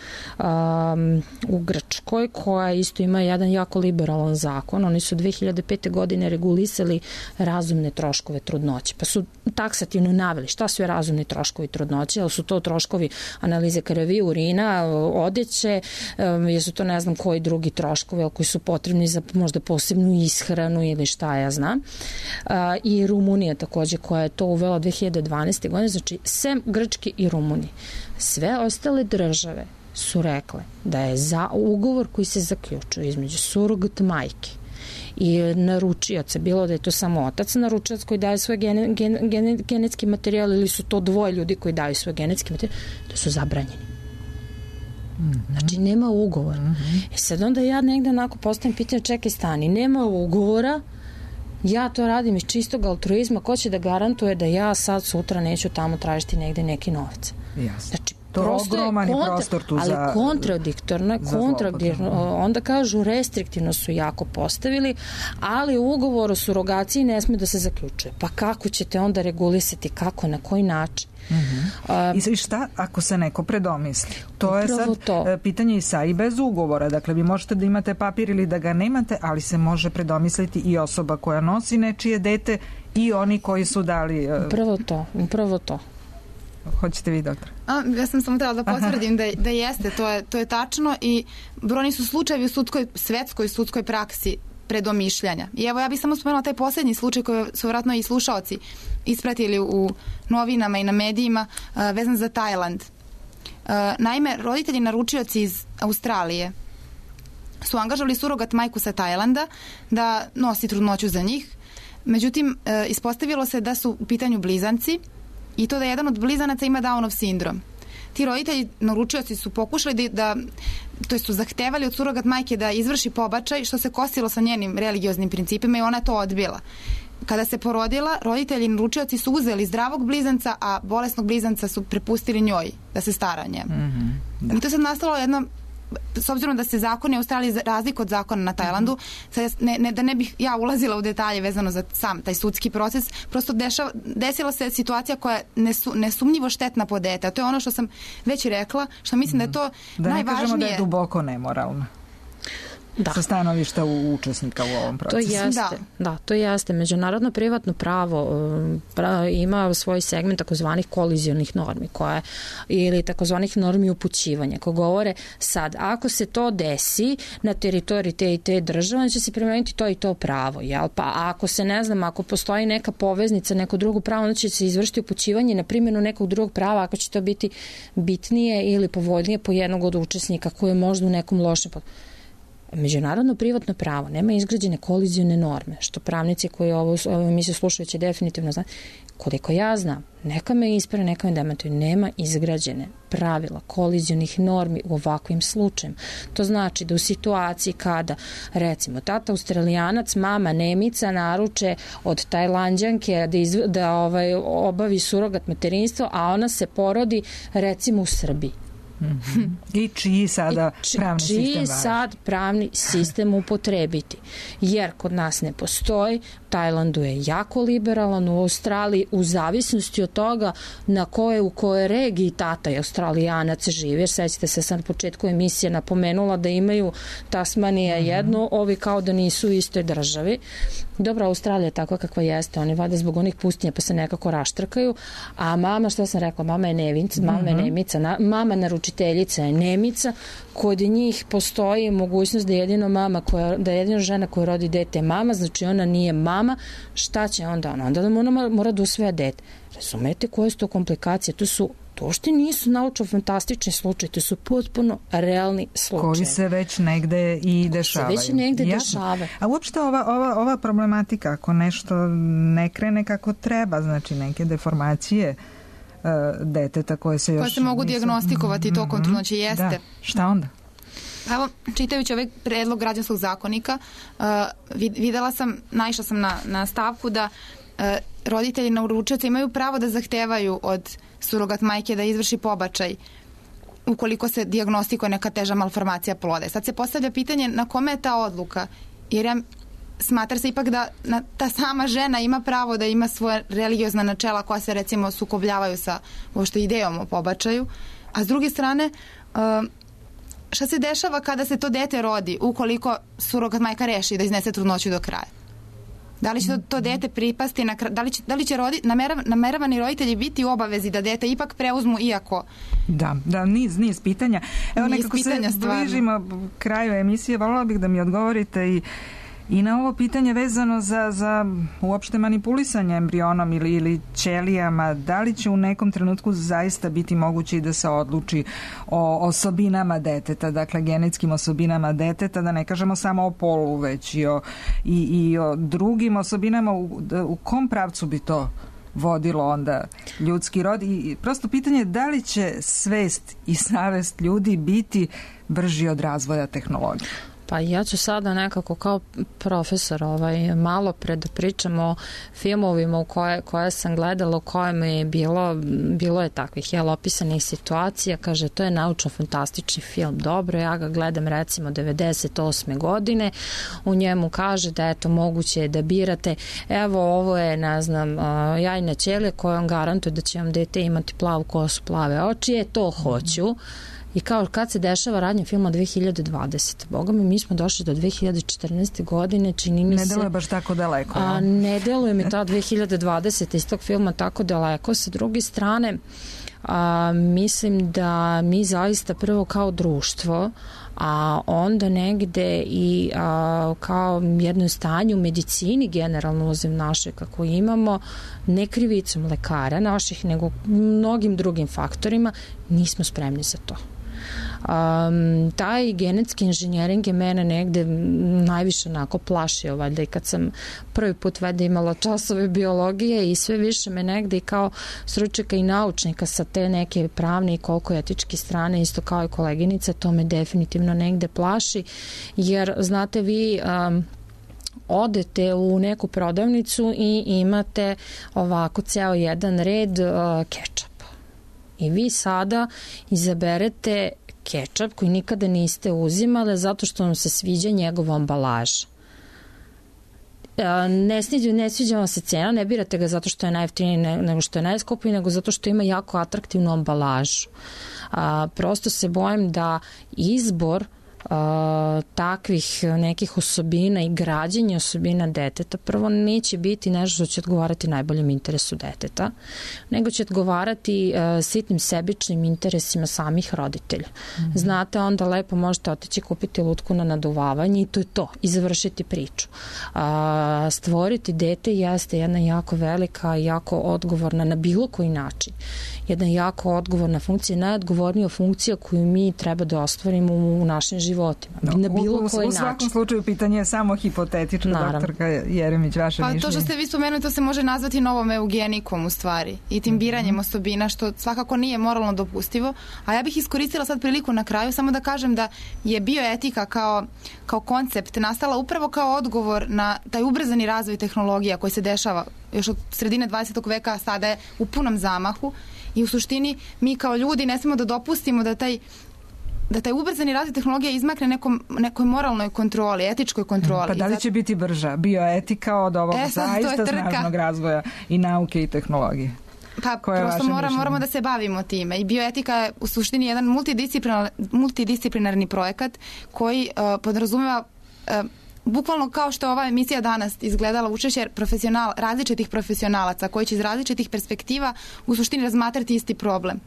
u Grčkoj, koja isto ima jedan jako liberalan zakon. Oni su 2005. godine regulisali razumne troškove trudnoće, pa su taksativno naveli šta su razumni troškovi trudnoće, ali su to troškovi analize krvi, urina, odeće, jesu to ne znam koji drugi troškovi koji su potrebni za možda posebnu ishranu ili šta ja znam. I Rumunija takođe koja je to uvela 2012. godine, znači sem Grčke i Rumunije. Sve ostale države su rekle da je za ugovor koji se zaključuje između surogat majke i naručioca, bilo da je to samo otac naručilac koji daje svoj genetski materijal ili su to dvoje ljudi koji daju svoj genetski materijal, da su zabranjeni. Znači, nema ugovora. Sad onda ja negde onako postavim pitanje, čekaj stani, nema ugovora, ja to radim iz čistog altruizma, ko će da garantuje da ja sad sutra neću tamo tražiti negde neki novac? Znači, to je ogroman prostor tu za... Ali kontradiktorno, onda kažu restriktivno su jako postavili, ali ugovor o surogaciji ne sme da se zaključuje. Pa kako ćete onda regulisati, kako, na koji način? I šta ako se neko predomisli? To je sad pitanje i sa i bez ugovora. Dakle, vi možete da imate papir ili da ga nemate, ali se može predomisliti i osoba koja nosi nečije dete i oni koji su dali... Upravo to. Hoćete vi, doktor? Ja sam samo trebala da potvrdim da jeste, to je tačno i brojni su slučajevi u svetskoj sudskoj praksi predomišljanja. I evo, ja bih samo spomenula taj posljednji slučaj koji su vjerojatno i slušaoci ispratili u novinama i na medijima vezan za Tajland. Naime, roditelji naručioci iz Australije su angažovali surogat majku sa Tajlanda da nosi trudnoću za njih. Međutim, ispostavilo se da su u pitanju blizanci i to da jedan od blizanaca ima Downov sindrom. Ti roditelji, naručioci su pokušali to su zahtevali od surogat majke da izvrši pobačaj, što se kosilo sa njenim religioznim principima i ona je to odbila. Kada se porodila, roditelji i naručioci su uzeli zdravog blizanca, a bolesnog blizanca su prepustili njoj da se stara o njemu. I to se nastalo jedno, s obzirom da se zakoni u Australiji razliku od zakona na Tajlandu, da ne bih ja ulazila u detalje vezano za sam taj sudski proces, prosto desila se situacija koja je nesumnjivo štetna po dete. A to je ono što sam već rekla, što mislim da je to najvažnije. Da ne kažemo da je duboko nemoralno. Sa stanovišta učesnika u ovom procesu. To jeste. Međunarodno privatno pravo ima svoj segment takozvanih kolizionih normi ili takozvanih normi upućivanja koje govore sad, ako se to desi na teritoriji te i te države, će se primeniti to i to pravo. Pa ako se, ne znam, ako postoji neka poveznica, neko drugo pravo, onda će se izvršiti upućivanje na primjenu nekog drugog prava, ako će to biti bitnije ili povoljnije po jednog od učesnika koji je možda u nekom lošem. Međunarodno privatno pravo nema izgrađene kolizione norme, što pravnici koji ovo emisiju slušaju će definitivno znati. Koliko ja znam, neka me isprave, neka me demantuju, nema izgrađene pravila kolizionih normi u ovakvim slučajima. To znači da u situaciji kada, recimo, tata Australijanac, mama Nemica naruče od Tajlanđanke da obavi surogat materinstvo, a ona se porodi, recimo, u Srbiji. I čiji sada pravni sistem važi? Čiji sad pravni sistem upotrebiti? Jer kod nas ne postoji, u Tajlandu je jako liberalan, u Australiji u zavisnosti od toga u kojoj regiji tata i Australijanac živi. Jer sećate se, sam na početku emisije napomenula da imaju Tasmanija jedno, ovi kao da nisu u istoj državi. Dobro, Australija je takva kakva jeste, oni vade zbog onih pustinja pa se nekako raštrkaju, a mama, što sam rekla, mama je Nemica, mama naručiteljica je Nemica, kod njih postoji mogućnost da jedina žena koja rodi dete je mama, znači ona nije mama, šta će onda ona? Onda ona mora da usvaja dete. Razumete koje su to komplikacije? To što nisu naučno-fantastični slučaj, to su potpuno realni slučaj. Koji se već negde i dešavaju. A uopšte ova problematika, ako nešto ne krene kako treba, znači neke deformacije deteta koje se još... Koje se mogu dijagnostikovati tokom trudnoće, jeste. Da, šta onda? Evo, čitajući ovaj predlog građanskog zakonika, naišla sam na stavku da roditelji nauručioca imaju pravo da zahtevaju od surogat majke da izvrši pobačaj ukoliko se dijagnostikuje neka teža malformacija ploda. Sad se postavlja pitanje na kome je ta odluka, jer smatra se ipak da ta sama žena ima pravo da ima svoje religiozna načela koja se recimo sukobljavaju sa uopšte idejom o pobačaju, a s druge strane šta se dešava kada se to dete rodi ukoliko surogat majka reši da iznese trudnoću do kraja? Da li će to dete pripasti, da li će nameravani roditelji biti u obavezi da dete ipak preuzmu iako... Da, niz pitanja. Evo nekako se bližimo kraju emisije, voljela bih da mi odgovorite i na ovo pitanje vezano za uopšte manipulisanje embrionom ili ćelijama. Da li će u nekom trenutku zaista biti moguće i da se odluči o osobinama deteta, dakle genetskim osobinama deteta, da ne kažemo samo o polu, već i o drugim osobinama, u kom pravcu bi to vodilo onda ljudski rod? I prosto pitanje je da li će svest i savest ljudi biti brži od razvoja tehnologije? Pa ja ću sada nekako kao profesor malo da pričam o filmovima koje sam gledala, u kojem je bilo je takvih opisanih situacija. Kaže, to je naučno-fantastični film, dobro, ja ga gledam recimo 98. godine, u njemu kaže da eto moguće je da birate, evo ovo je, ne znam, jajna ćelija koja vam garantuje da će vam dete imati plavu kosu, plave oči, to hoću. I kao kad se dešava radnje filma 2020. Boga mi smo došli do 2014. godine, čini mi se... Ne deluje baš tako daleko. Ne deluje mi ta 2020. iz tog filma tako daleko. Sa druge strane, mislim da mi zaista prvo kao društvo, a onda negde i kao jedno stanje u medicini generalno uzem naše kako imamo, ne krivicom lekara naših, nego mnogim drugim faktorima, nismo spremni za to. Taj genetski inženjering je mene negde najviše onako plašio, valjda i kad sam prvi put valjda imala časove biologije i sve više me negde i kao stručnjaka i naučnika sa te neke pravne i koliko etičke strane, isto kao i koleginica, to me definitivno negde plaši, jer znate vi odete u neku prodavnicu i imate ovako ceo jedan red kečapa i vi sada izaberete kečap koji nikada niste uzimali zato što vam se sviđa njegova ambalaža. Ne sviđa vam se cena, ne birate ga zato što je najjeftiniji nego što je najskuplji, nego zato što ima jako atraktivnu ambalažu. Prosto se bojim da izbor takvih nekih osobina i građenja osobina deteta prvo neće biti nešto što će odgovarati najboljem interesu deteta, nego će odgovarati sitnim sebičnim interesima samih roditelja. Znate, onda lepo možete otići kupiti lutku na naduvavanje i to je to, i završiti priču. Stvoriti dete jeste jedna jako velika, jako odgovorna na bilo koji način. Jedna jako odgovorna funkcija, najodgovornija funkcija koju mi treba da ostvarimo u našim životima. Na bilo koji način. U svakom slučaju pitanje je samo hipotetičko, doktorka Jeremić, vaše mišljenje. To što ste vi spomenuli, to se može nazvati novom eugenikom u stvari i tim biranjem osobina, što svakako nije moralno dopustivo. A ja bih iskoristila sad priliku na kraju samo da kažem da je bioetika kao koncept nastala upravo kao odgovor na taj ubrzani razvoj tehnologija koji se dešava još od sredine 20. veka, a sada je u punom zamahu. I u suštini mi kao ljudi ne smemo da dopustimo da taj ubrzani razvoj tehnologije izmakne nekoj moralnoj kontroli, etičkoj kontroli. Pa da li će biti brža bioetika od ovog zaista snažnog razvoja i nauke i tehnologije? Pa prosto moramo da se bavimo time. I bioetika je u suštini jedan multidisciplinarni projekat koji podrazumeva bukvalno kao što je ova emisija danas izgledala učešće različitih profesionalaca koji će iz različitih perspektiva u suštini razmatrati isti problem.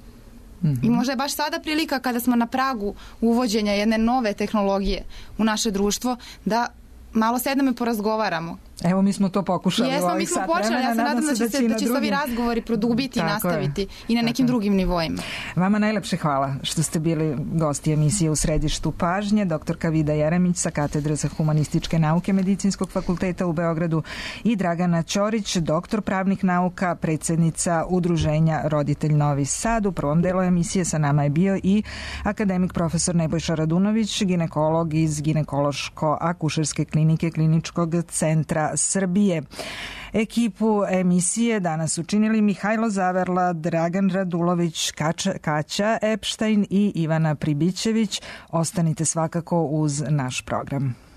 I možda je baš sada prilika kada smo na pragu uvođenja jedne nove tehnologije u naše društvo da malo sednemo i porazgovaramo. Evo, mi smo to pokušali u ovih sat vremena. Počeli, ja se nadam da će se ovi razgovori produbiti i nastaviti i na nekim drugim nivoima. Vama najlepše hvala što ste bili gosti emisije U središtu pažnje, doktorka Vida Jeremić sa Katedre za humanističke nauke Medicinskog fakulteta u Beogradu i Dragana Ćorić, doktor pravnih nauka, predsjednica Udruženja Roditelj Novi Sad. U prvom delu emisije sa nama je bio i akademik profesor Nebojša Radunović, ginekolog iz Ginekološko-akušerske klinike Kliničkog centra Srbije. Ekipu emisije danas učinili Mihajlo Zaverla, Dragan Radulović, Kaća Epštajn i Ivana Pribićević. Ostanite svakako uz naš program.